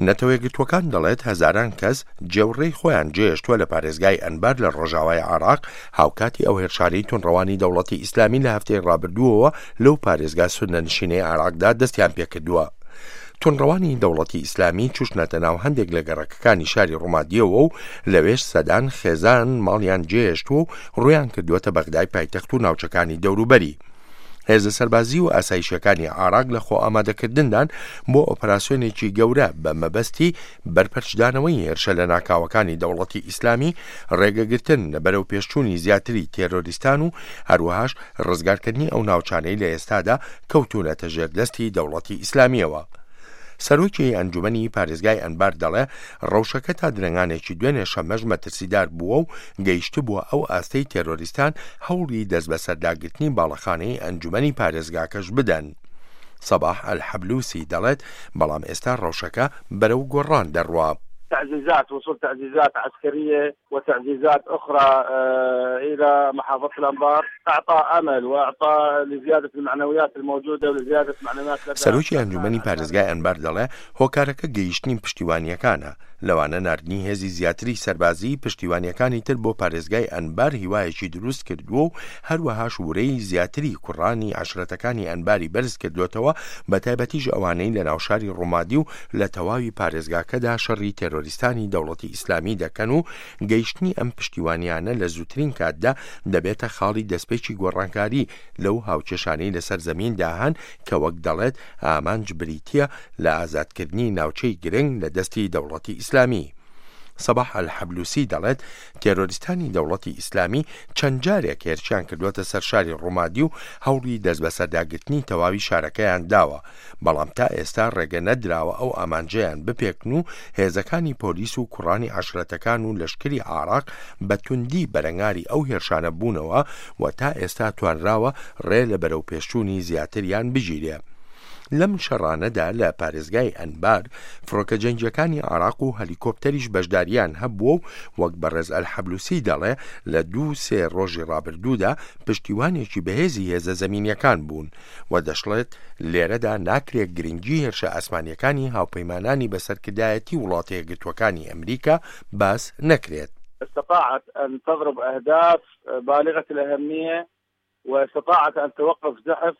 نەتەوەیەکگرتووەکان دەڵێت هەزاران کەس جێوڕێی خۆیان جێهێشتووە لە پارێزگای ئەنبار لە ڕۆژاوای عێراق، هاوکاتی ئەو هێرشانەی توندڕەوانی دەوڵەتی ئیسلامی لە هەفتەی ڕابردووەوە لەو پارێزگا سوننەنشینەی عێراقدا دەستیان پێکردووە. توندڕەوانی دەوڵەتی ئیسلامی چوشنەتە ناو هەندێک لە گەڕەکەکانی شاری ڕومادییەوە و لەوێش سەدان خێزان ماڵیان جێهێشتووە و ڕوویان کردووەتە بەغدای پایتەخت و ناوچەکانی دەوروبەری. هێزە سەربازی و ئاسایشیەکانی عێراق لە خۆئامادەکردندان بۆ ئۆپەراسیۆنێکی گەورە بە مەبەستی بەرپەرچدانەوەی هێرشە لەناکاوەکانی دەوڵەتی ئیسلامی، ڕێگەگرتن لە بەرەوپێشچوونی زیاتری تێرۆریستان و هەروەهاش ڕزگارکردنی ئەو ناوچانەی لە ئێستادا کەوتوونەتە ژێر دەستی دەوڵەتی ئیسلامییەوە. سەرۆکی ئەنجومەنی پارێزگای ئەنبار دەڵێ، ڕەوشەکە تا درەنگانێکی دوێنێ شەممەش مەترسیدار بووە و گەیشتبووە ئەو ئاستەی تێرۆریستان هەوڵی دەستبەسەرداگرتنی باڵەخانەی ئەنجومەنی پارێزگاکەش بدەن. سەباح ئەلحەبلوسی دەڵێت، بەڵام ئێستا ڕەوشەکە بەرەو گۆڕان دەڕوا. تعزيزات وصول تعزيزات عسكرية وتعزيزات أخرى إلى محافظة الأنبار أعطى أمل وأعطى لزيادة المعنويات الموجودة ولزيادة معنويات لدى سەرۆکی ئەنجومەنی پارێزگای ئەنبار دەڵێ، هۆکارەکە گەیشتنی پشتیوانییەکانە، لەوانە ناردنی هێزی زیاتری سەربازیی پشتیوانییەکانی تر بۆ پارێزگای ئەنبار هیوایەکی دروست کردووە و هەروەهاش ورەی زیاتری کوڕانی عەشرەتەکانی ئەنباری بەرز کردۆتەوە بەتایبەتیش ئەوانەی لە ناوشاری ڕومادی و لە تەواوی پارێزگاکەدا شەڕی تێرۆریستانی دەوڵەتی ئیسلامی دەکەن و گەیشتنی ئەم پشتیوانیانە لە زووترین کاتدا دەبێتە خاڵی دەستپێکی گۆڕانکاری لەو هاوکێشانەی لەسەر زەمیندا هەن کە وەک دەڵێت ئامانج بریتییە لە ئازادکردنی ناوچەی گرنگ لە دەستی دەوڵەتی ئیسلامی. سەباح ئەلحەبلوسی دەڵێت، تێرۆریستانی دەوڵەتی ئیسلامی چەند جارێک هێرشیان کردووەتە سەر شاری ڕومادی و هەوڵی دەستبەسەرداگرتنی تەواوی شارەکەیان داوە، بەڵام تا ئێستا ڕێگە نەدراوە ئەو ئامانجەیان بپێکن و هێزەکانی پۆلیس و کوڕانی عەشرەتەکان و لەشکری عێراق بە توندی بەرەنگاری ئەو هێرشانە بوونەوە و تا ئێستا توانراوە ڕێ لە بەرەوپێشچوونی زیاتریان بگیرێ. لەم شەڕانەدا لە پارێزگای ئەنبار، فڕۆکە جەنگییەکانی عێراق و هەلیکۆپتەریش بەشدارییان هەبووە و وەک بەڕێز ئەلحەبلوسی دەڵێ لە دوو سێ ڕۆژی ڕابردوودا پشتیوانێکی بەهێزی هێزە زەمینییەکان بوون و دەشڵێت لێرەدا ناکرێ گرنگی هێرشە ئاسمانییەکانی هاوپەیمانانی بە سەرکردایەتی وڵاتەیەکگرتووەکانی ئەمریکا باس نەکرێت. استطاعت ان تضرب اهداف بالغة الاهمية واستطاعت ان توقف زحف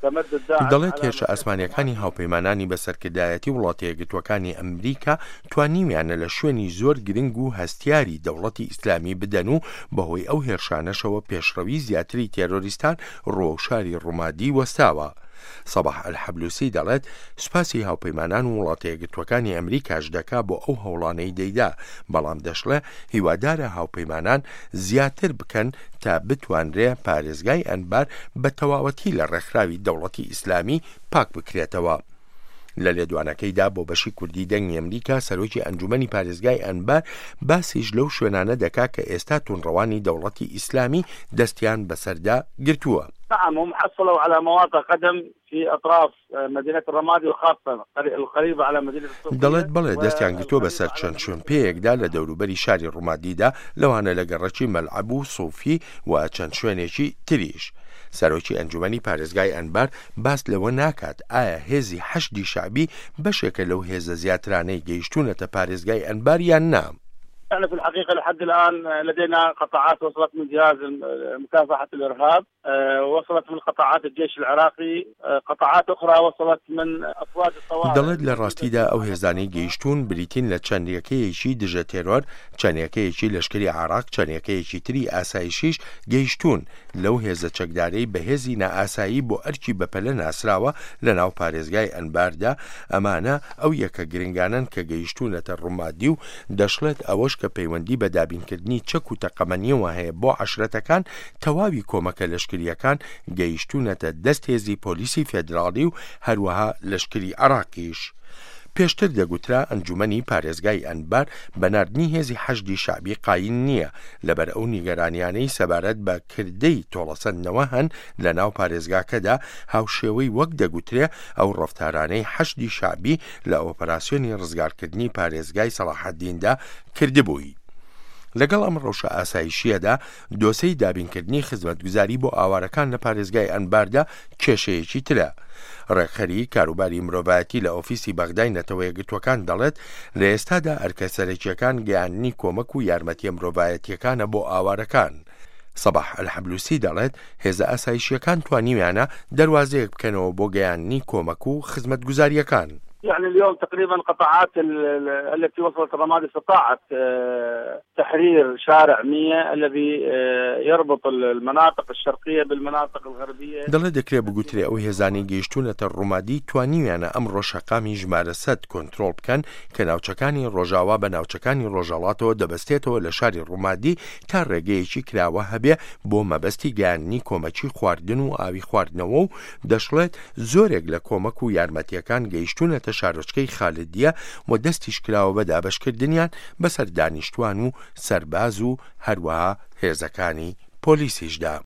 تمدد داعش دەڵێت هێرشە ئاسمانییەکانی هاوپەیمانانی بە سەرکردایەتی وڵاتەیەکگرتووەکانی ئەمریکا توانیویانە لە شوێنی زۆر گرنگ و هەستیاری دەوڵەتی ئیسلامی بدەن و بەهۆی ئەو هێرشانەشەوە پێشڕەوی زیاتری تێرۆریستان ڕووەو شاری ڕومادی وەستاوە. سەباح ئەلحەبلوسی دەڵێت سوپاسی هاوپەیمانان و وڵاتەیەکگرتووەکانی ئەمریکاش دەکا بۆ ئەو هەوڵانەی دەیدا، بەڵام دەشڵێ هیوادارە هاوپەیمانان زیاتر بکەن تا بتوانرێ پارێزگای ئەنبار بە تەواوەتی لە ڕێکخراوی دەوڵەتی ئیسلامی پاک بکرێتەوە. لە لێدوانەکەیدا بۆ بەشی کوردی دەنگی ئەمریکا سەرۆکی ئەنجومەنی پارێزگای ئەنبار باسیش لەو شوێنانە دەکا کە ئێستا توندڕەوانی دەوڵەتی ئیسلامی دەستیان بەسەردا گرتووە. نعم هم حصلوا على مواقع قدم في أطراف مدينة الرمادي وخاصة القريبة على مدينة الصوفية دەڵێت بەڵێ دەستیان گرتووە بەسەر چەند شوێنپێیەکدا لە دەوروبەری شاری ڕومادیدا لەوانە لە گەڕەکی مەلعەب و سوفی و چەند شوێنێکی تریش. سەرۆکی ئەنجومەنی پارێزگای ئەنبار باس لەوە ناکات ئایا هێزی حەشدی شەعبی بەشێکە لەو هێزە زیاترانەی گەیشتوونەتە پارێزگای ئەنبار یان نا. نحن في الحقيقة لحد الآن لدينا قطاعات وصلت من جهاز مكافحة الإرهاب وصلت من قطاعات الجيش العراقي قطاعات أخرى وصلت من أفواج الطوارئ دەڵێت لە ڕاستیدا ئەو هێزانەی گەیشتوون بریتین لە چەند یەکەیەکی دژە تێرۆر، چەند یەکەیەکی لەشکری عێراق، چەند یەکەیەکی تری ئاسایشیش گەیشتوون، لەو هێزە چەکدارەی بە هێزی نائاسایی بۆ ئەرکی بەپەلە ناسراوە لە ناو پارێزگای ئەنباردا، ئەمانە ئەو یەکە گرنگانەن کە گەیشتوونەتە ڕومادی و دەشڵێت ئەوەش کە پەیوەندی بە دابینکردنی چەک و تەقەمەنیەوە هەیە بۆ عەشرەتەکان تەواوی کۆمەکە لەشکرییەکان گەیشتوونەتە دەست هێزی پۆلیسی فێدراڵی و هەروەها لەشکری عێراقیش. پێشتر دەگوترا ئەنجومەنی پارێزگای ئەنبار بە ناردنی هێزی حەشدی شەعبی قایل نییە لەبەر ئەو نیگەرانیانەی سەبارەت بە کردەی تۆڵەسەندنەوە هەن لە ناو پارێزگاکەدا هاوشێوەی وەک دەگوترێ ئەو ڕەفتارانەی حەشدی شەعبی لە ئۆپەراسیۆنی ڕزگارکردنی پارێزگای سەڵاحەدیندا کردبووی. لەگەڵ ئەم ڕەوشە ئاسایشییەدا، دۆسێی دابینکردنی خزمەتگوزاری بۆ ئاوارەکان لە پارێزگای ئەنباردا کێشەیەکی ترە. ڕێکخەری کاروباری مرۆڤایەتی لە ئۆفیسی بەغدای نەتەوەیەکگرتووەکان دەڵێت، لە ئێستادا ئەرکە سەرەکییەکان گەیاندنی کۆمەک و یارمەتییە مرۆڤایەتییەکانە بۆ ئاوارەکان. سەباح ئەلحەبلوسی دەڵێت، هێزە ئاسایشییەکان توانیویانە دەروازەیەک بکەنەوە بۆ گەیاندنی کۆمەک و خزمەتگوزارییەکان. یعنی اليوم تقريبا قطاعات التي وصلت الرمادي استطاعت تحرير شارع 100 الذي يربط المناطق الشرقية بالمناطق الغربية. دەڵێ دەکرێ بگوترێ ئەو هێزانەی گەیشتوونەتە ڕومادی توانیویانە ئەمڕۆ شەقامی ژمارە سەد کۆنترۆڵ بکەن کە ناوچەکانی ڕۆژاوا بە ناوچەکانی ڕۆژهەڵاتەوە دەبەستێتەوە لە شاری ڕومادی تا ڕێگەیەکی کراوە هەبێ بۆ مەبەستی گەیاندنی کۆمەکی خواردن و ئاوی خواردنەوە و دەشڵێت زۆرێک لە کۆمەک و یارمەتییەکان گەیشتوونەتە شارۆچکەی خالدیە و دەستیش کراوە بە دابەشکردنیان بەسەر دانیشتوان و سەرباز و هەروەها هێزەکانی پۆلیسیشدا.